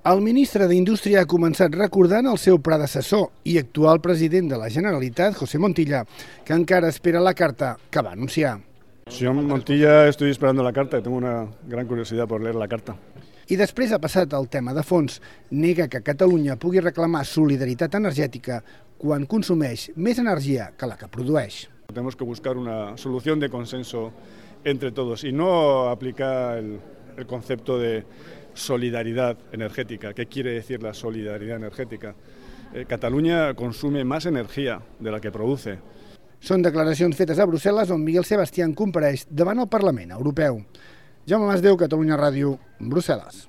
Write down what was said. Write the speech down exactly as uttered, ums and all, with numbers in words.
El ministre d'Indústria ha començat recordant el seu predecessor i actual president de la Generalitat, José Montilla, que encara espera la carta que va anunciar. Señor Montilla, estoy esperando la carta, tengo una gran curiosidad por leer la carta. I després ha passat al tema de fons. Nega que Catalunya pugui reclamar solidaritat energètica quan consumeix més energia que la que produeix. Tenemos que buscar una solución de consenso entre todos y no aplicar el, el concepto de solidaridad energética. ¿Qué quiere decir la solidaridad energética? Eh, Catalunya consume más energía de la que produce. Són declaracions fetes a Brussel·les on Miguel Sebastián compareix davant el Parlament Europeu. Jaume Masdeu, Catalunya Ràdio, Brussel·les.